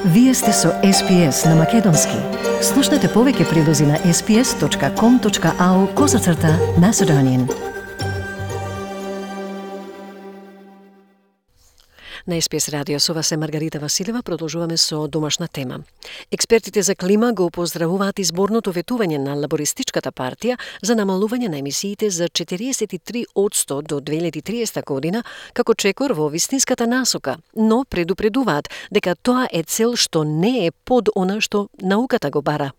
Вие сте со SPS на Македонски. Слушнете повеќе прилози на sps.com.au/Macedonian. На SPS радио со вас е Маргарита Василева. Продолжуваме со домашна тема. Експертите за клима го поздравуваат изборното ветување на Лабористичката партија за намалување на емисиите за 43% до 2030 година како чекор во вистинската насока, но предупредуваат дека тоа е цел што не е под она што науката го бара.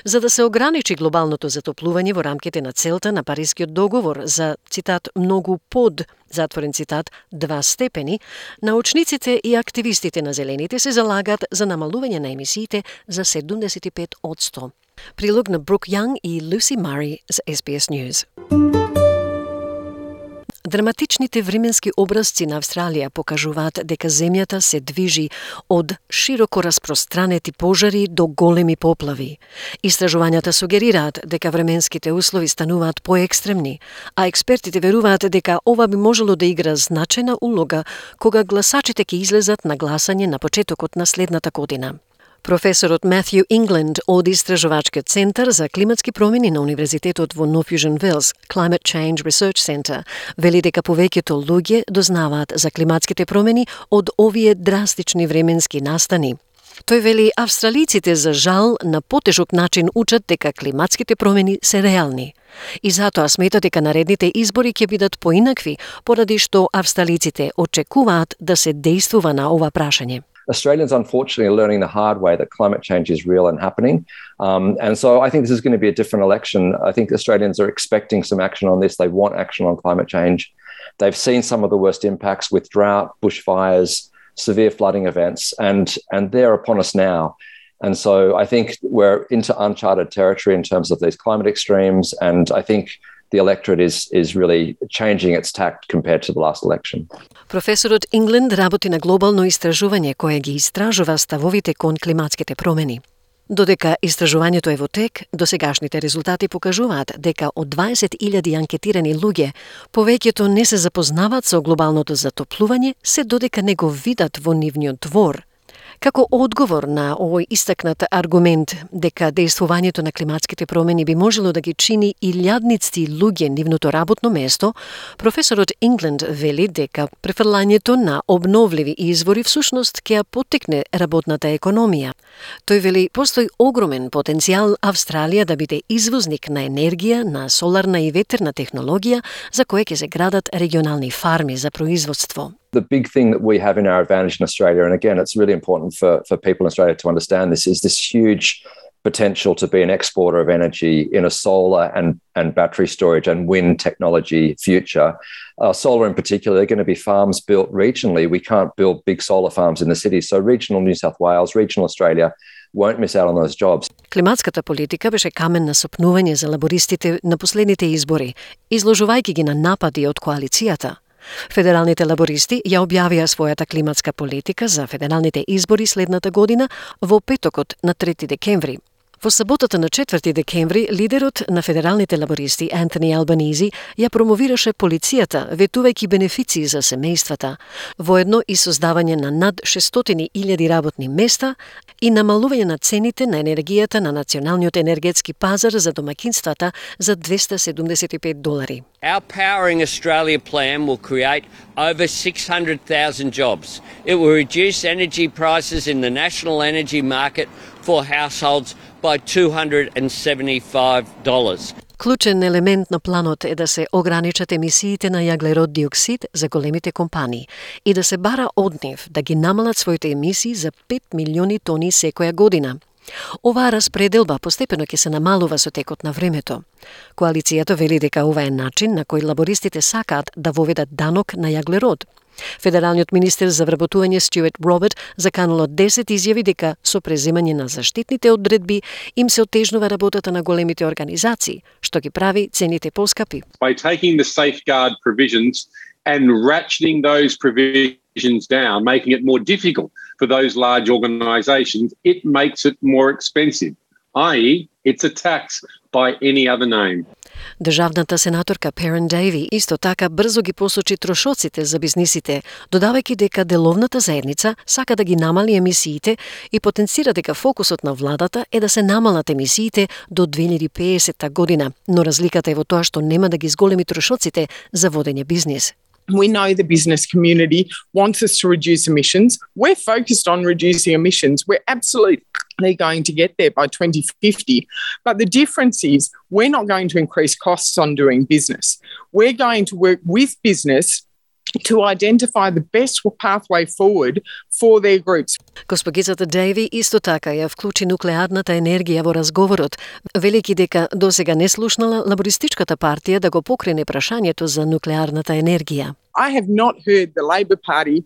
За да се ограничи глобалното затоплување во рамките на целта на Парискиот договор за, цитат, многу под, затворен цитат, 2 степени, научниците и активистите на зелените се залагаат за намалување на емисиите за 75%. Прилог на Брук Јанг и Люси Мари за SBS News. Драматичните временски образци на Австралија покажуваат дека земјата се движи од широко распространети пожари до големи поплави. Истражувањата сугерираат дека временските услови стануваат поекстремни, а експертите веруваат дека ова би можело да игра значајна улога кога гласачите ќе излезат на гласање на почетокот на следната година. Професорот Матthew England од Истражувачкиот центар за климатски промени на Универзитетот во North Fusion Wells, Climate Change Research Center, вели дека повеќето луѓе дознаваат за климатските промени од овие драстични временски настани. Тој вели австралиците за жал на потежок начин учат дека климатските промени се реални. И затоа смета дека наредните избори ќе бидат поинакви, поради што австралиците очекуваат да се действува на ова прашање. Australians, unfortunately, are learning the hard way that climate change is real and happening. And so I think this is going to be a different election. I think Australians are expecting some action on this. They want action on climate change. They've seen some of the worst impacts with drought, bushfires, severe flooding events, and they're upon us now. And so I think we're into uncharted territory in terms of these climate extremes, and I think the electorate is really changing its tact compared to the last election. Професорот England работи на глобално истражување кое ги истражува ставовите кон климатските промени. Додека истражувањето е во тек, досегашните резултати покажуваат дека од 20.000 анкетирани луѓе, повеќето не се запознаваат со глобалното затоплување, се додека не го видат во нивниот двор. Како одговор на овој истакнат аргумент дека действувањето на климатските промени би можело да ги чини илјадници луѓе нивното работно место, професорот England вели дека префрлањето на обновливи извори всушност ќе ја поттикне работната економија. Тој вели постои огромен потенцијал Австралија да биде извозник на енергија, на соларна и ветерна технологија, за која ќе се градат регионални фарми за производство. The big thing that we have in our advantage in Australia, and again, it's really important for people in Australia to understand this, is this huge potential to be an exporter of energy in a solar and battery storage and wind technology future. Solar in particular, they're going to be farms built regionally. We can't build big solar farms in the cities. So regional New South Wales, regional Australia won't miss out on those jobs. Климатската политика беше камен на сопнување за лабористите на последните избори, изложувајќи ги на напади од коалицијата. Федералните лабористи ја објавија својата климатска политика за федералните избори следната година во петокот на 3 декември. Во саботата на 4 декември, лидерот на федералните лабористи Антони Албанизи ја промовираше полицијата, ветувајќи бенефиции за семејствата, воедно и создавање на над 600.000 работни места и намалување на цените на енергијата на националниот енергетски пазар за домаќинствата за $275. Our Powering Australia plan will create over 600,000 jobs. It will reduce energy prices in the national energy market for households by $275. Клучен елемент на планот е да се ограничат емисиите на јаглерод диоксид за големите компании и да се бара од нив да ги намалат своите емисии за 5 милиони тони секоја година. Оваа распределба постепено ќе се намалува со текот на времето. Коалицијата вели дека ова е начин на кој лабористите сакаат да воведат данок на јаглерод. Федералниот министер за вработување Стюарт Роберт заканал 10 изјави дека со преземање на заштитните одредби им се отежнува работата на големите организации, што ги прави цените поскапи. By taking the safeguard provisions and ratcheting those provisions down, making it more difficult for those large organisations, it makes it more expensive, i.e. it's a tax by any other name. Државната сенаторка Perrin Davey исто така брзо ги посочи трошоците за бизнисите, додавајќи дека деловната заедница сака да ги намали емисиите и потенцира дека фокусот на владата е да се намалат емисиите до 2050 година, но разликата е во тоа што нема да ги зголеми трошоците за водење бизнис. We know the business community wants us to reduce emissions. We're focused on reducing emissions. We're absolutely going to get there by 2050. But the difference is we're not going to increase costs on doing business. We're going to work with business to identify the best pathway forward for their groups. Госпогицата Дейви исто така ја вклучи нуклеарната енергија во разговорот, велики дека досега не слушнала лабористичката партија да го покрене прашањето за нуклеарната енергија. I have not heard the Labor Party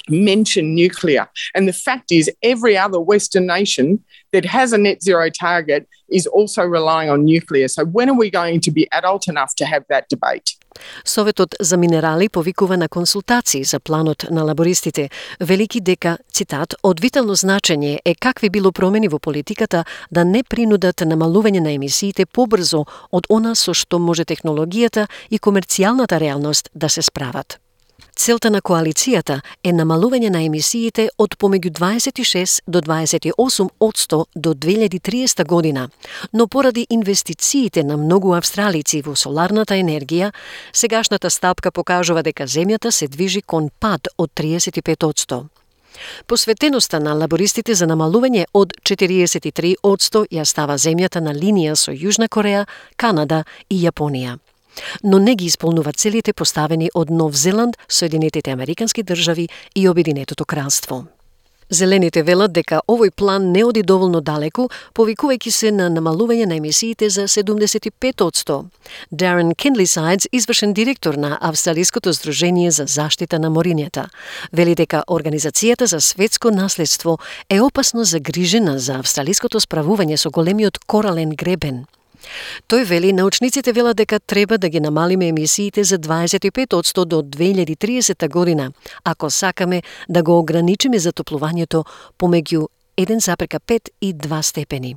mention nuclear. And the fact is every other Western nation that has a net zero target is also relying on nuclear. So when are we going to be adult enough to have that debate? Советот за минерали повикува на консултации за планот на лабористите, велики дека, цитат, од витално значење е какви било промени во политиката да не принудат намалување на емисиите побрзо од она со што може технологијата и комерцијалната реалност да се справат. Целта на коалицијата е намалување на емисиите од помеѓу 26 до 28% до 2030 година, но поради инвестициите на многу австралици во соларната енергија, сегашната стапка покажува дека земјата се движи кон пад од 35%. Посветеноста на лабористите за намалување од 43% ја става земјата на линија со Јужна Кореја, Канада и Јапонија. Но не ги исполнува целите поставени од Нов Зеланд, Соединетите Американски држави и Обединетото кралство. Зелените велат дека овој план не оди доволно далеку, повикувајќи се на намалување на емисиите за 75%. Darren Kindlesides, извршен директор на Австралиското здружение за заштита на морињата, вели дека Организацијата за светско наследство е опасно загрижена за австралиското справување со големиот корален гребен. Тој вели, научниците велат дека треба да ги намалиме емисиите за 25% до 2030 година, ако сакаме да го ограничиме затоплувањето помеѓу 1,5 и 2 степени.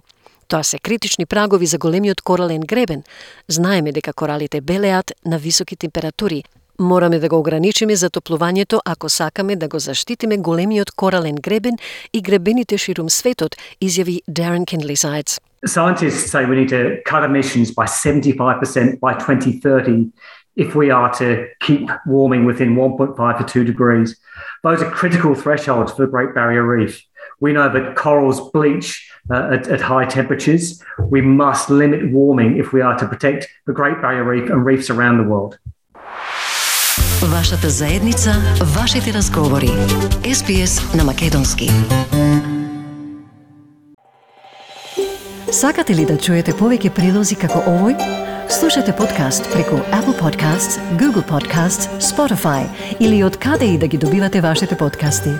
Тоа се критични прагови за големиот корален гребен. Знаеме дека коралите белеат на високи температури. Мораме да го ограничиме затоплувањето ако сакаме да го заштитиме големиот корален гребен и гребените ширум светот, изјави Darren Kindlesides. Scientists say we need to cut emissions by 75% by 2030 if we are to keep warming within 1.5 to 2 degrees. Those are critical thresholds for the Great Barrier Reef. We know that corals bleach at high temperatures. We must limit warming if we are to protect the Great Barrier Reef and reefs around the world. Вашата заедница, вашите разговори. SBS на македонски. Сакате ли да чуете повеќе прилози како овој? Слушате подкаст преку Apple Podcasts, Google Podcasts, Spotify или од каде и да ги добивате вашите подкасти.